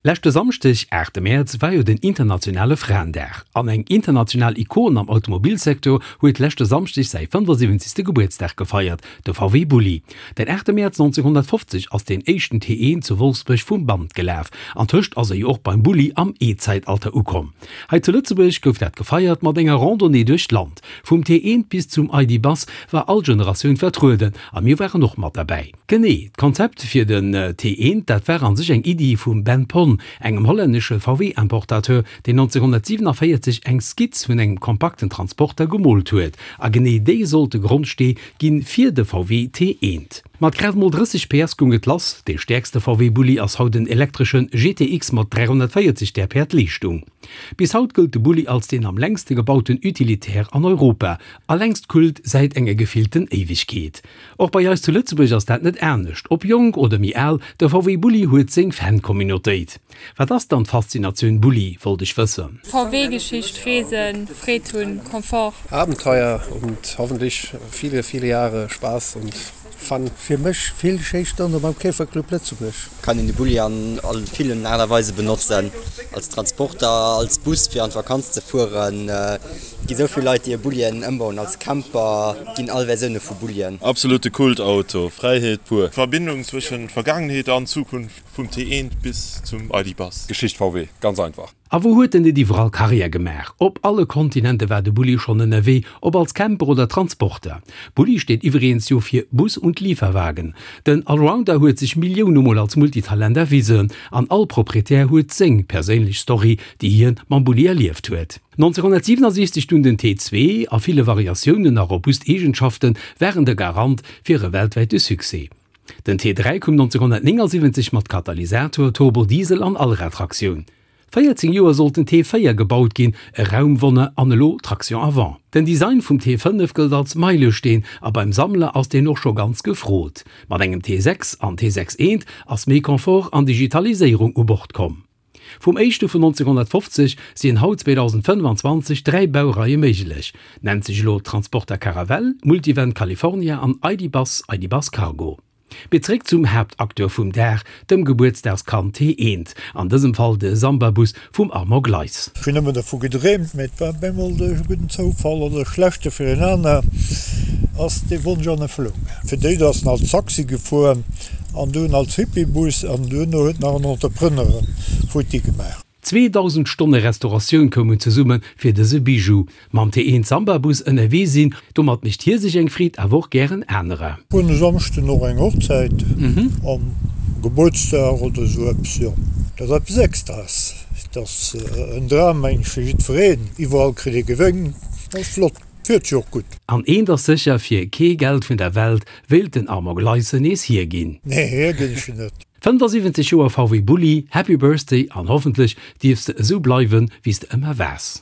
Leschte Samschdeg, 8 Mäerz, war jo den internationale Fraendag. An eng international Ikon am Automobilsecteur huet leschte Samschdeg säi 75. Gebuertsdag gefeiert, de VW Bulli. Den 8 Mäerz 1950 ass deen éischten T1 zu Wolfsbuerg vum Band gelaf. An tëscht ass e jo och beim Bulli am E-Zäitalter ukomm. Hei zu Lëtzebuerg gouf dat gefeiert mat enger Randonnée duerch d'Land. Vum T1 bis zum ID. Buzz war all Generatioun vertrueden a mir waren och mat derbäi. Genee, d'Konzept fir den T1, dat war an sech eng Iddi vum Ben Pon, engem hollännesche VW-Importateur, deen 1947 eng Skizz vun engem kompakten Transporter gemoolt huet. A genee déi sollt de Grondstee gi fir de VW T1. Mat grad mol 30 PS goung et lass. Dee stäerkste VW-Bulli ass haut en elektresche GTX mat 340 Päerd Leeschtung. Bis haut gëllt de Bulli als deen am längste gebauten Utilitaire an Europa a längst Kult säit enger gefillten Éiwegkeet. Och bei eis zu Lëtzebuerg ass dat net anescht. Ob jonk oder méi al, de VW Bulli huet seng Fan-Communautéit. Wat ass dann d'Faszinatioun Bulli, wollt ech wëssen. VW-Geschicht, Reesen, Freed hunn, Confort. Abenteuer und hoffentlich viele, viele Jahre Spaß und Fun. Fir mech vill schéi Stonne beim Käferclub Lëtzebuerg. Kann een de Bulli an villen Aart a Weise benotzen, als Transporter, als Bus fir an d'Vakanz ze fueren. Et gi sou vill Leit déi e Bullien ëmbauen als Camper, et ginn all Versioune vu Bullien. Absolute Kultauto, Fräiheet pur. Verbindung zwëschen Vergaangenheet an Zukunft, vum T1 bis zum ID Buzz. Geschicht VW, ganz einfach. A wou huet en net iwwerall Karriär gemaach? Op alle Kontinente war de Bulli schonn ënnerwee, ob als Camper oder Transporter. Bulli steet iwweregens jo fir Bus und Lieferwagen. Den Allrounder huet sech Millioune Mol als Multitalent erwisen an all Proprietär huet seng perséinlech Story, déi hien mam Bulli erlieft huet. 1967 dunn den T2, a ville Variatiounen a robust Eegenschafte waren de Garant fir e weltwäite Succès. Den T3 koum 1979 mat Katalysator, Turbodiesel an Allradtraktioun. 14 Joer sollt den T4 gebaut ginn, e Raumwonner an elo Traction avant. Den Design vum T5 gëllt als Meilesteen a beim Sammler ass deen och scho ganz gefrot. Mat engem T6 an T6 Eent ass méi Confort an Digitaliséierung u Bord komm. Vum éischte vun 1950 sinn haut 2025 dräi Baureie méiglech, nennt sech elo Transporter Caravelle, Multivan California an ID. Buzz, ID. Buzz Cargo. Mee zeréck zum Haaptacteur vum Dag, dem Gebuertsdagskand T1, an dësem Fall de Samba-Bus vum Armand Gleis. Ech hunn ëmmer dervu gedreemt, mee et war op eemol duerch e gudden Zoufall oder e schlechte fir een aner, ass dee Wonsch an Erfëllung gaangen. Fir d'éischt ass en als Taxi gefuer an dunn als Hippiebus an duerno huet nach en Entrepreneur en futti gemaach. 2.000 Stonne Restauratioun koumen zesumme fir dëse Bijou. Mam T1 Samba-Bus ënnerwee sinn, domat mécht hie sech eng Freed, awer och gären anerer. Hunn e Samschden och eng Hochzäit an Gebuertsdag oder esou eppes, jo. Dat ass eppes Extraes, dat ass en Dram mengen ech fir jiddwereen. Iwwerall kritt ee Gewénk, dat ass flott, fiert sech och gutt. An eent ass sécher, fir kee Geld vun der Welt wéilt den Armand Gleisen nees hierginn. Nee, hierginn ech net. 75 Joer VW Bulli, Happy Birthday an hoffentlech dierfs de esou bleiwen wéis de ëmmer waars.